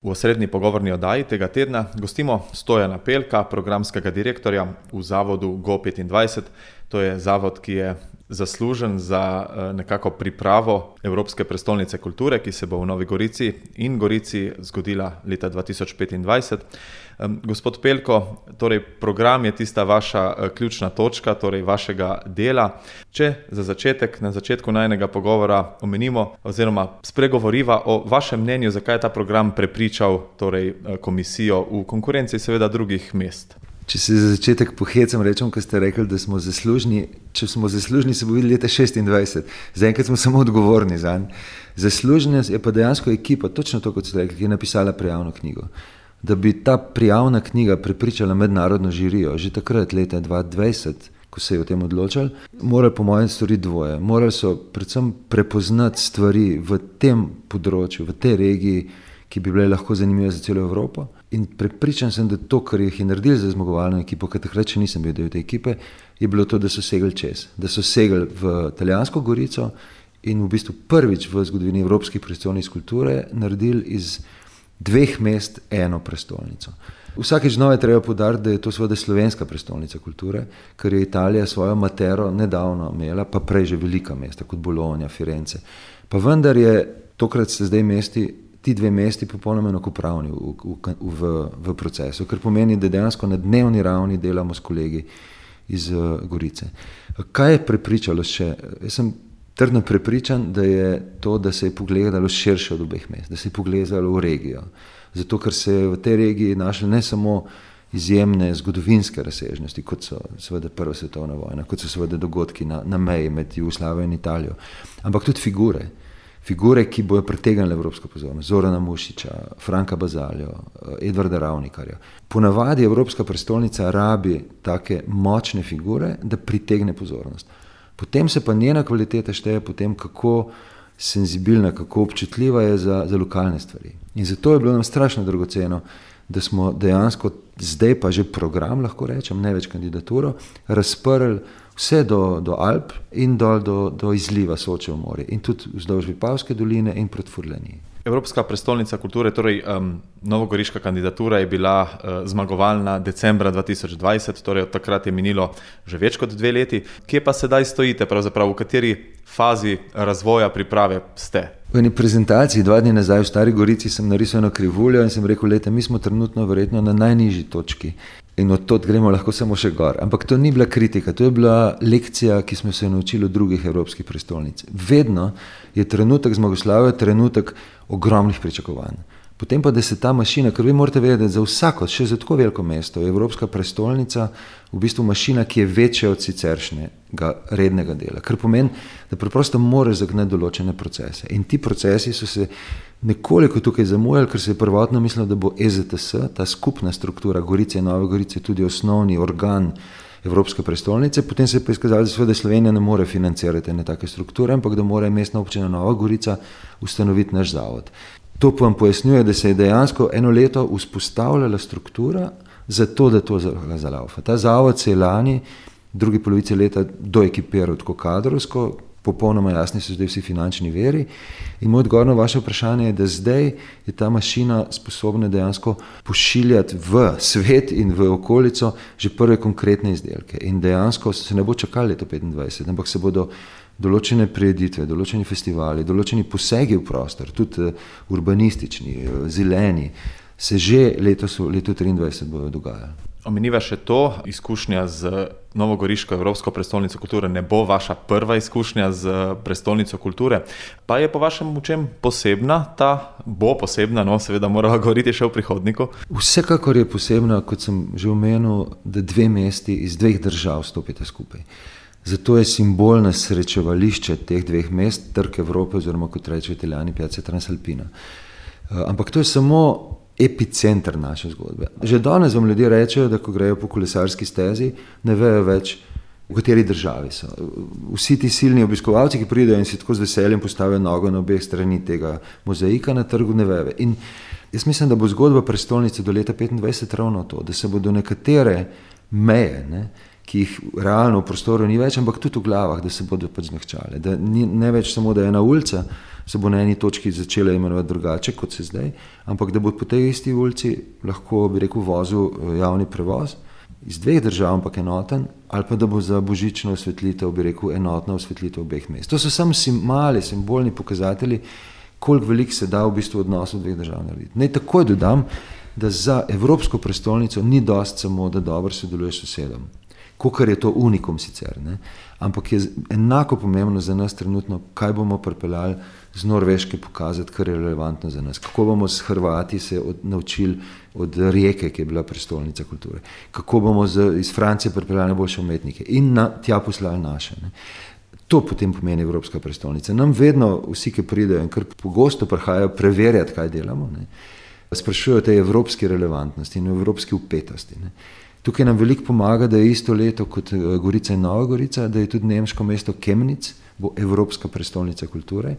V osrednji pogovorni oddaji tega tedna gostimo Stojana Pelka, programskega direktorja v zavodu Go25. To je zavod, ki je zaslužen za nekako pripravo Evropske prestolnice kulture, ki se bo v Novi Gorici in Gorici zgodila leta 2025. Gospod Pelko, torej program je tista vaša ključna točka, torej vašega dela. Če za začetek, na začetku najnega pogovora omenimo oziroma spregovoriva o vašem mnenju, zakaj je ta program prepričal torej komisijo v konkurenci seveda drugih mest. Če se za začetek pohecam, rečem, ko ste rekli, da smo zaslužni. Če smo zaslužni, se bo videli leta 26. Zaenkrat smo samo odgovorni zanj. Zaslužna je pa dejansko ekipa, točno to, kot ste rekli, ki je napisala prijavno knjigo. Da bi ta prijavna knjiga prepričala mednarodno žirijo, že takrat, leta 2020, ko se je o tem odločali, morali po mojem storiti dvoje. Morali so predvsem prepoznati stvari v tem področju, v tej regiji, ki bi bile lahko zanimive za celo Evropo. In prepričan sem, da to, kar jih je naredili za zmagovalno ekipo, ker takrat še nisem bil del te ekipe, je bilo to, da so segli čez. Da so segli v Italijansko Gorico in v bistvu prvič v zgodovini Evropskih prestolnic kulture naredili iz dveh mest eno prestolnico. Vsakeč znova je treba poudariti, da je to seveda slovenska prestolnica kulture, ker je Italija svojo matero nedavno imela, pa prej že velika mesta, kot Bologna, Firence. Pa vendar je tokrat se zdaj ti dve mesti popolnoma enakopravni v procesu, kar pomeni, da dejansko na dnevni ravni delamo s kolegi iz Gorice. Kaj je prepričalo še? Jaz sem trdno prepričan, da je to, da se je pogledalo širše od obeh mest, da se je pogledalo v regijo. Zato, ker se je v tej regiji našli ne samo izjemne zgodovinske razsežnosti, kot so seveda Prva svetovna vojna, kot so seveda dogodki na meji med Jugoslavijo in Italijo, ampak tudi figure, ki bojo pritegnile evropsko pozornost. Zorana Mušiča, Franka Bazaljo, Edvarda Ravnikarja. Ponavadi Evropska prestolnica rabi take močne figure, da pritegne pozornost. Potem se pa njena kvaliteta šteje potem, kako senzibilna, kako občutljiva je za lokalne stvari. In zato je bilo nam strašno dragoceno, da smo dejansko zdaj pa že program, lahko rečem, ne več kandidaturo, razprli vse do Alp in dol do izliva Soče v morje in tudi vzdolž Vipavske doline in proti Furlaniji. Evropska prestolnica kulture, torej novogoriška kandidatura je bila zmagovalna decembra 2020, torej od takrat je minilo že več kot 2 leti. Kje pa sedaj stojite, pravzaprav v kateri fazi razvoja priprave ste? V eni prezentaciji 2 dni nazaj v Stari Gorici sem narisal eno krivuljo in sem rekel, mi smo trenutno verjetno na najnižji točki. In od tod gremo lahko samo še gor. Ampak to ni bila kritika, to je bila lekcija, ki smo se naučili od drugih evropskih prestolnic. Vedno je trenutek zmagoslavja trenutek ogromnih pričakovanj. Potem pa, da se ta mašina, ker vi morate vedeti, da za vsako, še za tako veliko mesto, je Evropska prestolnica v bistvu mašina, ki je večja od siceršnjega rednega dela. Kar pomeni, da preprosto moraš zagnati določene procese. In ti procesi so se nekoliko tukaj zamujali, ker se je prvotno mislilo, da bo EZTS, ta skupna struktura Gorice in Nove Gorice, tudi osnovni organ Evropske prestolnice. Potem se je pa izkazalo, da Slovenija ne more financirati ene take strukture, ampak da mora mestna občina Nova Gorica ustanoviti naš zavod. To pa vam pojasnjuje, da se je dejansko eno leto vzpostavljala struktura za to, da to zalaufa. Ta zavod se je lani, drugi polovici leta, doekipiral tako kadrovsko, popolnoma jasni so zdaj vsi finančni viri. In moj odgovor na vaše vprašanje je, da zdaj je ta mašina sposobna dejansko pošiljati v svet in v okolico že prve konkretne izdelke. In dejansko se ne bo čakali leto 2025, ampak se bodo določene prireditve, določeni festivali, določeni posegi v prostor, tudi urbanistični, zeleni, se že leto 2023 bodo dogajali. Omeniva še to, izkušnja z novogoriško Evropsko prestolnico kulture ne bo vaša prva izkušnja z prestolnico kulture, pa je po vašem v čem posebna, bo posebna, seveda morava govoriti še v prihodniku. Vsekakor je posebna, kot sem že omenil, da 2 mesti iz 2 držav stopite skupaj. Zato je simbolno srečevališče teh 2 mest Trg Evrope, oziroma kot rečejo Italijani, Piazza Transalpina. Ampak to je samo epicenter naše zgodbe. Že danes vam ljudje rečejo, da ko grejo po kolesarski stezi, ne vejo več, v kateri državi so. Vsi ti silni obiskovalci, ki pridejo in si tako z veseljem postavijo nogo na obeh strani tega mozaika na trgu, ne vejo. In jaz mislim, da bo zgodba prestolnice do leta 2025 ravno to, da se bodo nekatere meje, ki jih realno v prostoru ni več, ampak tudi v glavah, da se bodo pač zmehčale. Da ne več samo, da ena ulica se bo na eni točki začela imenovati drugače, kot se zdaj, ampak da bo po tej isti ulici lahko, bi rekel, vozil javni prevoz iz 2 držav, ampak enoten, ali pa da bo za božično osvetlitev, bi rekel, enotna osvetlitev obeh mest. To so samo mali simbolni pokazatelji, koliko veliko se da v bistvu odnosu 2 držav narediti. Naj takoj dodam, da za Evropsko prestolnico ni dosti samo, da dobro sodeluješ s sosedom, kakor je to unikum sicer, ne? Ampak je enako pomembno za nas trenutno, kaj bomo pripeljali z Norveške pokazati, kar je relevantno za nas. Kako bomo s Hrvati se naučili od Rijeke, ki je bila prestolnica kulture. Kako bomo iz Francije pripeljali boljše umetnike in tja poslali naše. Ne? To potem pomeni Evropska prestolnica. Nam vedno vsi, ki pridejo in kar pogosto prihajajo preverjati, kaj delamo, ne? Sprašujejo o tej evropski relevantnosti in evropski upetosti. Ne? Tukaj nam veliko pomaga, da je isto leto kot Gorica in Nova Gorica, da je tudi nemško mesto Chemnitz, bo Evropska prestolnica kulture.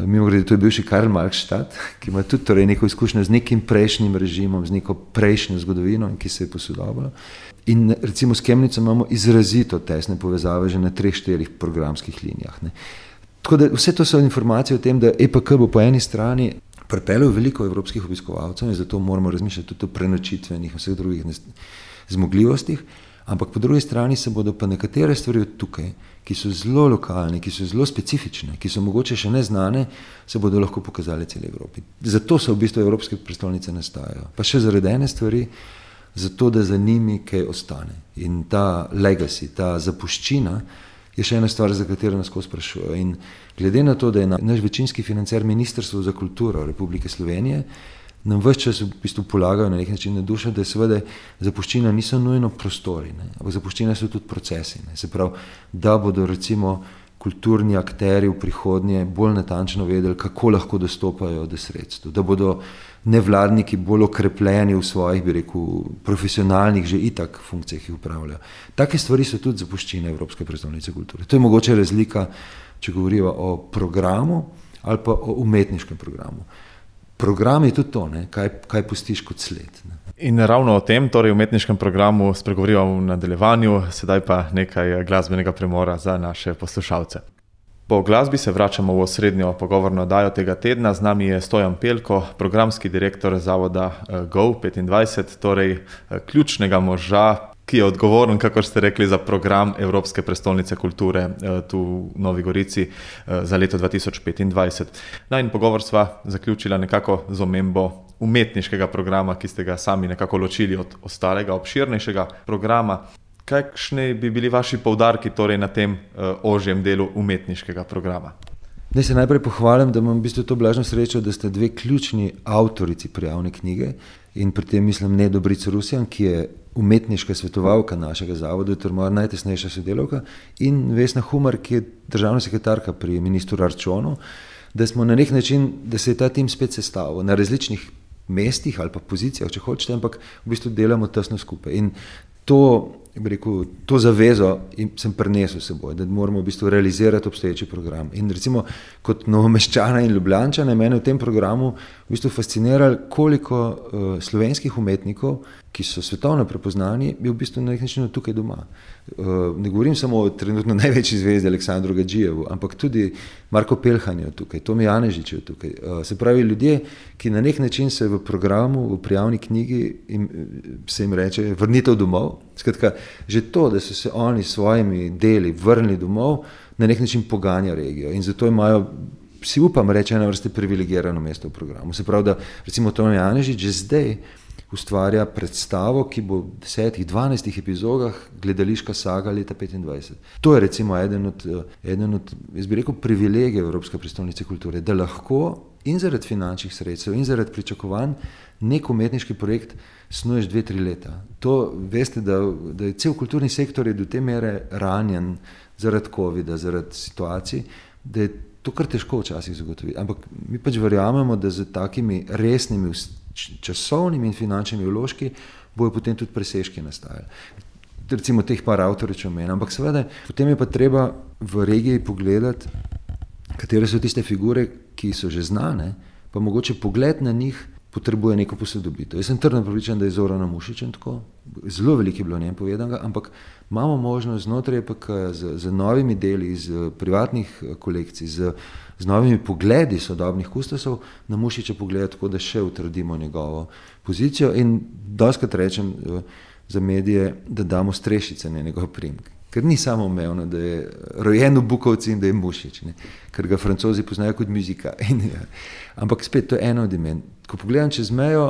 Mimogrede, to je bivši Karl Marx-Stadt, ki ima tudi torej neko izkušnjo z nekim prejšnjim režimom, z neko prejšnjo zgodovino, ki se je posodobila. In recimo s Chemnitzom imamo izrazito tesne povezave že na 3-4 programskih linijah. Ne. Tako da vse to so informacije o tem, da EPK bo po eni strani pripeljal veliko evropskih obiskovalcev in zato moramo razmišljati tudi o prenočitvenih in vseh drugih zmogljivostih, ampak po drugi strani se bodo pa nekatere stvari od tukaj, ki so zelo lokalne, ki so zelo specifične, ki so mogoče še neznane, se bodo lahko pokazali celi Evropi. Zato so v bistvu evropske prestolnice nastajajo. Pa še zaradi ene stvari, zato da za njimi kaj ostane. In ta legacy, ta zapuščina je še ena stvar, za katero nas skozi sprašujejo. In glede na to, da je naš večinski financer Ministrstvo za kulturo Republike Slovenije, nam ves čas v bistvu polagajo na nek način na dušo, da seveda zapuščina niso nujno prostori, ne, ampak zapuščina so tudi procesi. Ne. Se pravi, da bodo recimo kulturni akteri v prihodnje bolj natančno vedeli, kako lahko dostopajo do sredstev, da bodo nevladniki bolj okrepljeni v svojih, bi rekel, profesionalnih že itak funkcijah, ki jih upravljajo. Take stvari so tudi zapuščine Evropske prestolnice kulture. To je mogoče razlika, če govoriva o programu ali pa o umetniškem programu. Program je tudi to, ne? Kaj pustiš kot sled. Ne? In ravno o tem, torej umetniškem programu, spregovoriva v nadaljevanju, sedaj pa nekaj glasbenega premora za naše poslušalce. Po glasbi se vračamo v osrednjo pogovorno oddajo tega tedna. Z nami je Stojan Pelko, programski direktor zavoda Go25, torej ključnega moža, ki je odgovoren, kakor ste rekli, za program Evropske prestolnice kulture tu v Novi Gorici za leto 2025. In pogovor sva zaključila nekako z omembo umetniškega programa, ki ste ga sami nekako ločili od ostalega, obširnejšega programa. Kakšni bi bili vaši poudarki torej na tem ožjem delu umetniškega programa? Naj se najprej pohvalim, da imam v bistvu to blažno srečo, da ste 2 ključni avtorici prijavne knjige in pri tem mislim Nedo Bric-Rusjan, ki je umetniška svetovalka našega zavoda, to je moja najtesnejša sodelavka, in Vesna Humar, ki je državna sekretarka pri ministru Arčonu, da smo na nek način, da se je ta tim spet sestavil na različnih mestih ali pa pozicijah, če hočete, ampak v bistvu delamo tesno skupaj. In to zavezo sem prinesel s seboj, da moramo v bistvu realizirati obstoječi program. In recimo kot Novomeščana in Ljubljančana mene v tem programu v bistvu fasciniralo, koliko slovenskih umetnikov, ki so svetovno prepoznani, je v bistvu na nek način tukaj doma. Ne govorim samo o trenutno največji zvezdi Aleksandru Gadžijevu, ampak tudi Marko Pelhan je tukaj, Tomi Janežič je tukaj. Se pravi, ljudje, ki na nek način se v programu, v prijavni knjigi se jim reče vrnitev domov. Skratka, že to, da so se oni s svojimi deli vrnili domov, na nek način poganja regijo. In zato imajo, si upam reči, ena vrste privilegirano mesto v programu. Se pravi, da recimo Tomi Janežič že zdaj ustvarja predstavo, ki bo v 10-12 epizodah gledališka saga leta 2025. To je recimo eden od, jaz bi rekel, privilegijev Evropske prestolnice kulture, da lahko in zaradi finančnih sredstev in zaradi pričakovanj nek umetniški projekt snuješ 2-3 leta. To veste, da je cel kulturni sektor je do te mere ranjen zaradi covida, zaradi situacij, da je to kar težko včasih zagotoviti. Ampak mi pač verjamemo, da z takimi resnimi časovnimi in finančnimi vložki bojo potem tudi presežki nastajali. Recimo teh par avtorjev, če omenim. Ampak seveda, potem je pa treba v regiji pogledati, katere so tiste figure, ki so že znane, pa mogoče pogled na njih potrebuje neko posodobitev. Jaz sem trdno prepričan, da je Zoran Mušič in tako, zelo veliko je bilo o njem povedanega, ampak imamo možnost znotraj EPK z novimi deli, iz privatnih kolekcij, z novimi pogledi sodobnih kustosov na Mušiča pogledati tako, da še utrdimo njegovo pozicijo in dostikrat rečem za medije, da damo strešice na njegov priimek. Ker ni samoumevno, da je rojen v Bukovci in da je Mušič, ne? Ker ga Francozi poznajo kot muzika. Ampak spet, to je eno od imen. Ko pogledam čez mejo,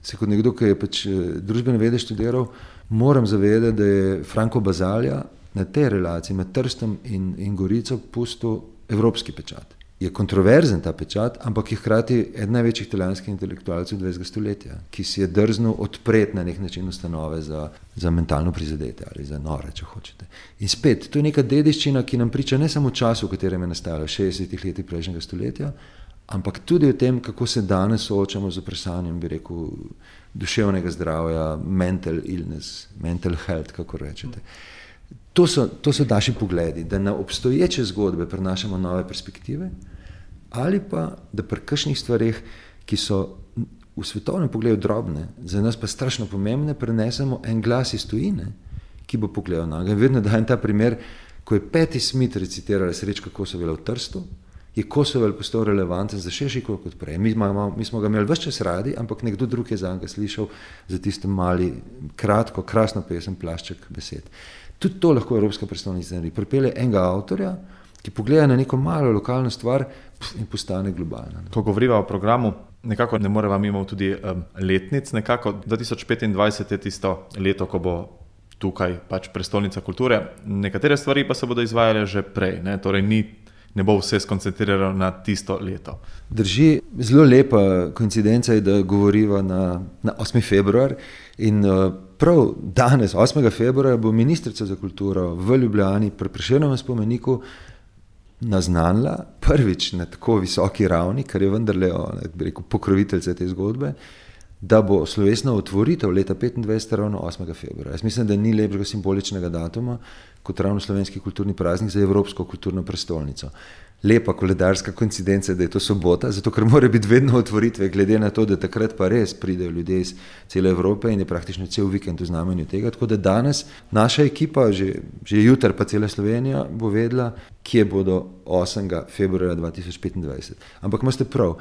se kot nekdo, ki je pač družbene vede študiral, moram zavedati, da je Franco Bazalja na tej relaciji med Trstom in Gorico pustil evropski pečat. Je kontroverzen ta pečat, ampak je hkrati eden največjih italijanskih intelektualcev 20. stoletja, ki si je drznil odpreti na nek način ustanove za mentalno prizadete ali za nore, če hočete. In spet, to je neka dediščina, ki nam priča ne samo o času, v katerem je nastajalo v 60. letih prejšnjega stoletja, ampak tudi o tem, kako se danes soočamo z vprašanjem, bi rekel, duševnega zdravja, mental illness, mental health, kako rečete. To so naši pogledi, da na obstoječe zgodbe prenašamo nove perspektive ali pa, da pri kakšnih stvareh, ki so v svetovnem pogledu drobne, za nas pa strašno pomembne, prenesemo en glas iz tujine, ki bo pogledal na njega. Vedno dajem ta primer, ko je Patti Smith recitirala Srečka Kosovela v Trstu, je Kosovel postal relevanten za širši krog kot prej. Mi smo ga imeli ves čas radi, ampak nekdo drug je za njega slišal za tisto mali, kratko, krasno pesem Plašček besed. Tudi to lahko Evropska prestolnica naredi. Pripelje enega avtorja, ki pogleda na neko malo lokalno stvar in postane globalna. Ko govoriva o programu, nekako ne moreva mimo tudi letnic. Nekako 2025 je tisto leto, ko bo tukaj pač prestolnica kulture. Nekatere stvari pa se bodo izvajale že prej, ne? Torej ne bo vse skoncentrirano na tisto leto. Drži, zelo lepa koincidenca je, da govoriva na 8. februar in prav danes, 8. februarja, bo ministrica za kulturo v Ljubljani pri Prešernovem spomeniku naznanila prvič na tako visoki ravni, kar je vendarle, bi rekel, pokroviteljica te zgodbe, da bo slovesna otvoritev leta 2025 ravno 8. februarja. Jaz mislim, da ni lepšega simboličnega datuma kot ravno slovenski kulturni praznik za Evropsko kulturno prestolnico. Lepa koledarska koincidenca, da je to sobota, zato ker mora biti vedno otvoritve, glede na to, da takrat pa res pridejo ljudje iz cele Evrope in je praktično cel vikend v znamenju tega. Tako da danes naša ekipa, že jutri pa cela Slovenija, bo vedela, kje bodo 8. februarja 2025. Ampak imate prav,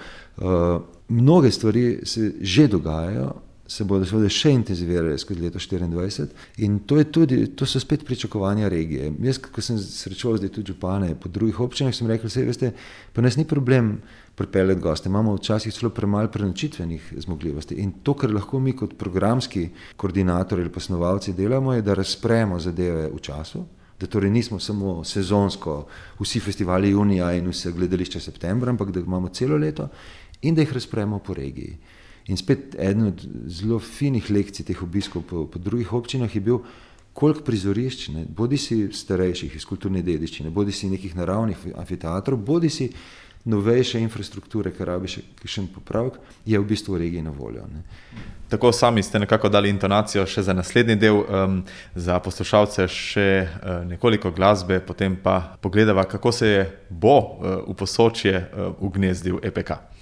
mnoge stvari se že dogajajo, se bodo seveda še intenzivirale skozi leto 2024 in to so spet pričakovanja regije. Jaz, ko sem srečoval zdaj tudi župane po drugih občinah, sem rekel, veste, pa nas ni problem pripeljati goste, imamo včasih celo premalo prenočitvenih zmogljivosti in to, kar lahko mi kot programski koordinator ali pa snovalci delamo, je, da razpremo zadeve v času, da torej nismo samo sezonsko vsi festivali junija in vse gledališče septembra, ampak da imamo celo leto in da jih razpremo po regiji. In spet eden od zelo finih lekcij teh obiskov po drugih občinah je bil, koliko prizorišč, bodi si starejših iz kulturne dediščine, bodi si nekih naravnih amfiteatrov, bodi si novejše infrastrukture, kar rabi še popravek, je v bistvu v regiji na voljo. Tako sami ste nekako dali intonacijo še za naslednji del, za poslušalce še nekoliko glasbe, potem pa pogledava, kako se bo v Posočje ugnezdil EPK.